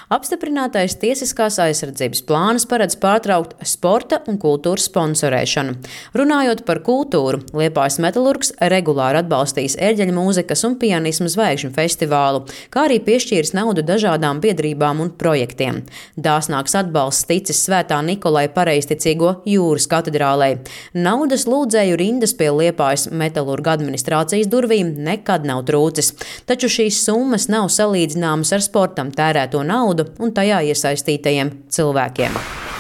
Apstiprinātais tiesiskās aizsardzības plāns paredz pārtraukt sporta un kultūras sponsorēšanu. Runājot par kultūru, Liepājas Metalurgs regulāri atbalstīs ērģeļu mūzikas un pianismu zvaigžņu festivālu, kā arī piešķīris naudu dažādām biedrībām un projektiem. Dāsnāks atbalsts ticis Svētā Nikolai Pareizticīgo jūras katedrālei. Naudas lūdzēju rindas pie Liepājas Metalurga administrācijas durvīm nekad nav trūcis, taču šīs summas nav salīdzināmas ar sportam tērēto naudu un tajā iesaistītajiem cilvēkiem.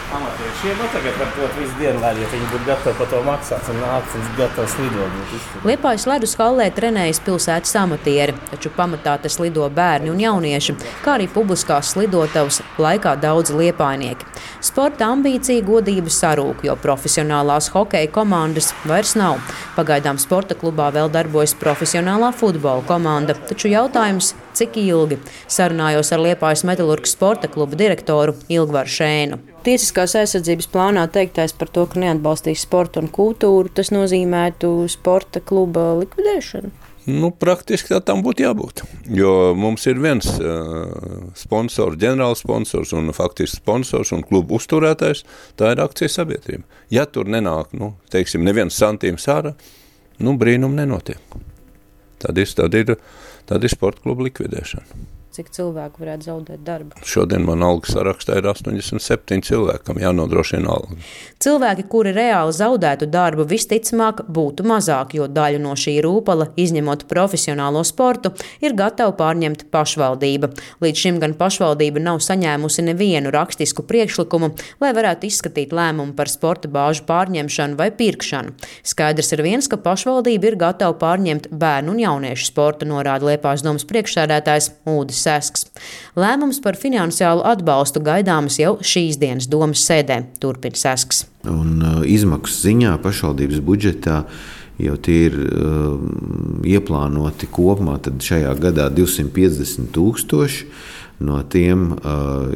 Amatiešiem tagad var dot visu dienu, lai viņi būtu gatavi par to maksāt un nākt un gatavs lidot. Liepājas ledus hallē trenējas pilsētas amatieri, taču pamatā tas lido bērni un jaunieši, kā arī publiskās slidotavas laikā daudzi liepājnieki. Sporta ambīcija godība sarūk, jo profesionālās hokeja komandas vairs nav. Pagaidām sporta klubā vēl darbojas profesionālā futbola komanda, taču jautājums, cik ilgi? Sarunājos ar Liepājas Metalurga sporta kluba direktoru Ilgvaru Šēnu. Tiesiskās aizsardzības plānā teiktais par to, ka neatbalstīs sportu un kultūru, tas nozīmētu sporta kluba likvidēšanu? Praktiski tā tam būtu jābūt, jo mums ir viens sponsors, ģenerāls sponsors un faktiski sponsors un klubu uzturētājs, tā ir akcijas sabiedrība. Ja tur nenāk, neviens santīms ārā, brīnum nenotiek. Tad ir sporta kluba likvidēšana. Cik cilvēku varētu zaudēt darbu? Šodien man algas sarakstā ir 87 cilvēki, kam jānodrošina alga. Cilvēki, kuri reāli zaudētu darbu, visticamāk būtu mazāk, jo daļu no šī rūpala, izņemot profesionālo sportu, ir gatava pārņemt pašvaldība. Līdz šim gan pašvaldība nav saņēmusi nevienu rakstisku priekšlikumu, lai varētu izskatīt lēmumu par sporta bāžu pārņemšanu vai pirkšanu. Skaidrs ir viens, ka pašvaldība ir gatava pārņemt bērnu un jauniešu sportu, norāda Liepājas domas priekšsēdētājs Ulris Sesks. Lēmums par finansiālu atbalstu gaidāmas jau šīs dienas domas sēdē, turpina Sesks. Un izmaksu ziņā pašvaldības budžetā jau tie ir ieplānoti kopumā tad šajā gadā 250 000. No tiem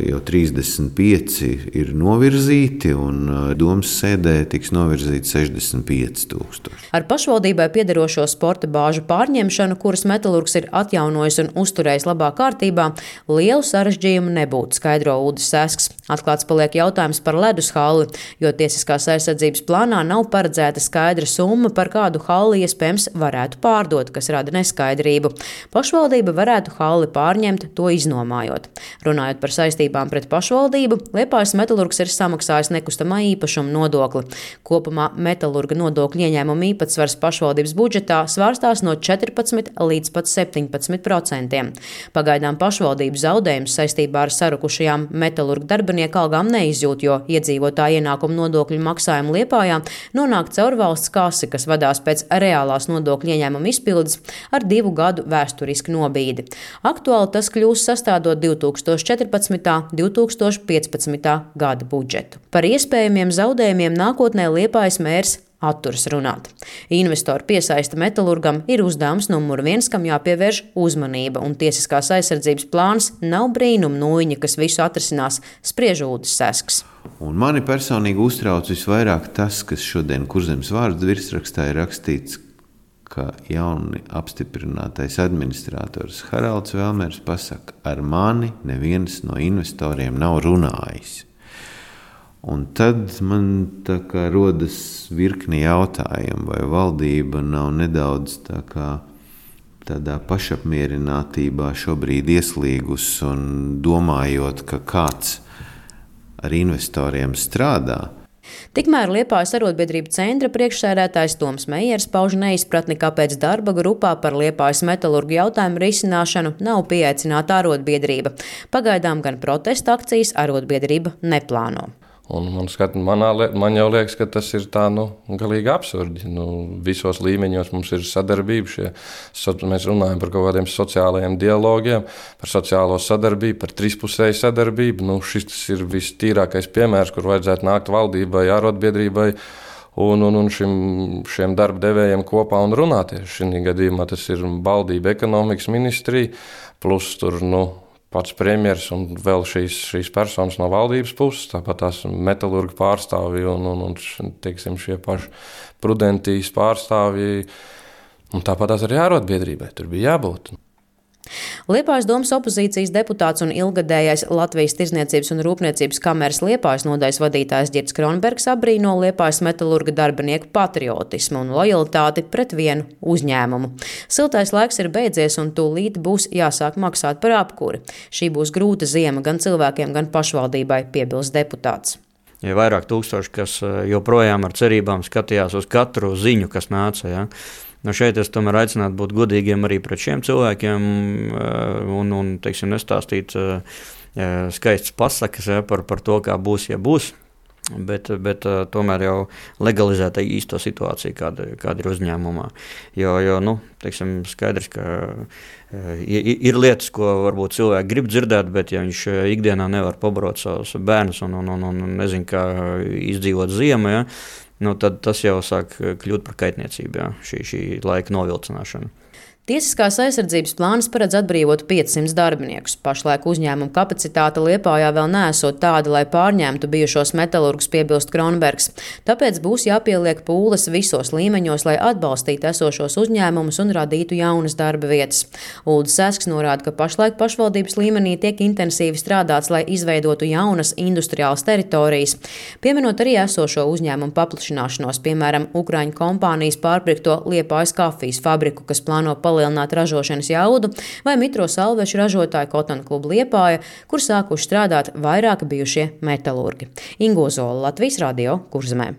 jau 35 ir novirzīti un domas sēdē tiks novirzīti 65 000. Ar pašvaldībai piederošo sporta bāžu pārņemšanu, kuras Metalurgs ir atjaunojis un uzturējis labā kārtībā, lielu sarežģījumu nebūtu, skaidro Ulris Sesks. Atklāts paliek jautājums par ledus halli, jo tiesiskās aizsardzības plānā nav paredzēta skaidra summa, par kādu halli iespējams varētu pārdot, kas rada neskaidrību. Pašvaldība varētu halli pārņemt, to iznomājot. Runājot par saistībām pret pašvaldību, Liepājas Metalurgs ir samaksājis nekustamā īpašuma nodokli. Kopumā metalurga nodokļu ieņēmuma īpatsvars pašvaldības budžetā svārstās no 14 līdz pat 17%. Pagaidām pašvaldības zaudējums saistībā ar sarukušajām metalurga darbinieku algām neizjūt, jo iedzīvotāju ienākumu nodokļu maksājumu Liepājā nonāk caur valsts kasi, kas vadās pēc reālās nodokļu ieņēmuma izpildes ar 2 gadu vēsturisku nobīdi. Aktuāli tas kļūs sastādot 2014. 2015. gada budžetu. Par iespējamiem zaudējumiem nākotnē Liepājas mērs atturas runāt. Investoru piesaista metalurgam ir uzdevums numur 1, kam jāpievērš uzmanība, un tiesiskās aizsardzības plāns nav brīnuma nūjiņa, kas visu atrisinās, spriež Ulris Sesks. Un mani personīgi uztrauc visvairāk tas, kas šodien Kurzemes vārdu virsrakstā ir rakstīts, ka jauni apstiprinātais administrators Haralds Velmers pasaka, ar mani neviens no investoriem nav runājis. Un tad man rodas virkni jautājumu, vai valdība nav nedaudz tādā pašapmierinātībā šobrīd ieslīgus un domājot, ka kāds ar investoriem strādā. Tikmēr Liepājas arotbiedrību centra priekšsēdētājs Toms Meijers pauž neizpratni, kāpēc darba grupā par Liepājas metalurgu jautājumu risināšanu nav pieaicināta arotbiedrība. Pagaidām gan protesta akcijas arotbiedrība neplāno. Un man jau liekas, ka tas ir tā, galīgi absurdi. Visos līmeņos mums ir sadarbība. Mēs runājam par kaut kādiem sociālajiem dialogiem, par sociālo sadarbību, par trispusēju sadarbību. Šis ir vistīrākais piemērs, kur vajadzētu nākt valdībai, arotbiedrībai un šiem darba devējiem kopā un runāties. Šī gadījumā tas ir valdība, ekonomikas ministrija, plus tur, pats premjers un vēl šīs personas no valdības puses, tāpat tās metalurga pārstāvji un šie paši prudentīs pārstāvji, un tāpat tās arī arotbiedrībai tur bija jābūt. Liepājas domas opozīcijas deputāts un ilgadējais Latvijas Tirdzniecības un Rūpniecības kameras Liepājas nodaļas vadītājs Ģirds Kronbergs apbrīno Liepājas metalurga darbinieku patriotismu un lojalitāti pret vienu uzņēmumu. Siltais laiks ir beidzies un tūlīt būs jāsāk maksāt par apkuri. Šī būs grūta ziema gan cilvēkiem, gan pašvaldībai, piebilst deputāts. Ja vairāk tūkstoši, kas joprojām ar cerībām skatījās uz katru ziņu, kas nāca. Ja? Šeit es tomēr aicinātu būt godīgiem arī pret šiem cilvēkiem un teiksim, nestāstīt skaistas pasakas par to, kā būs, ja būs. Bet tomēr jau legalizēt īsto situāciju, kāda ir uzņēmumā. Jo teiksim, skaidrs, ka ir lietas, ko varbūt cilvēki grib dzirdēt, bet ja viņš ikdienā nevar pabarot savus bērnus un nezin, kā izdzīvot ziemu, ja, tad tas jau sāk kļūt par kaitniecību, ja, šī laika novilcināšana. Tiesiskās aizsardzības plāns paredz atbrīvot 500 darbiniekus. Pašlaik uzņēmuma kapacitāte Liepājā vēl neesot tāda, lai pārņemtu bijušos metalurgus, piebilst Kronbergs. Tāpēc būs jāpieliek pūles visos līmeņos, lai atbalstītu esošos uzņēmumus un radītu jaunas darba vietas. Uldis Sesks norāda, ka pašlaik pašvaldības līmenī tiek intensīvi strādāts, lai izveidotu jaunas industriālas teritorijas, pieminot arī esošo uzņēmumu paplašināšanos, piemēram, Ukraiņu kompānijas pārpirkto Liepājas kafijas fabriku, kas plāno palielināt ražošanas jaudu, vai mitro salvešu ražotāju Kotona klubu Liepāja, kur sākuši strādāt vairāki bijušie metalurgi. Ingo Zola, Latvijas radio, Kurzemē.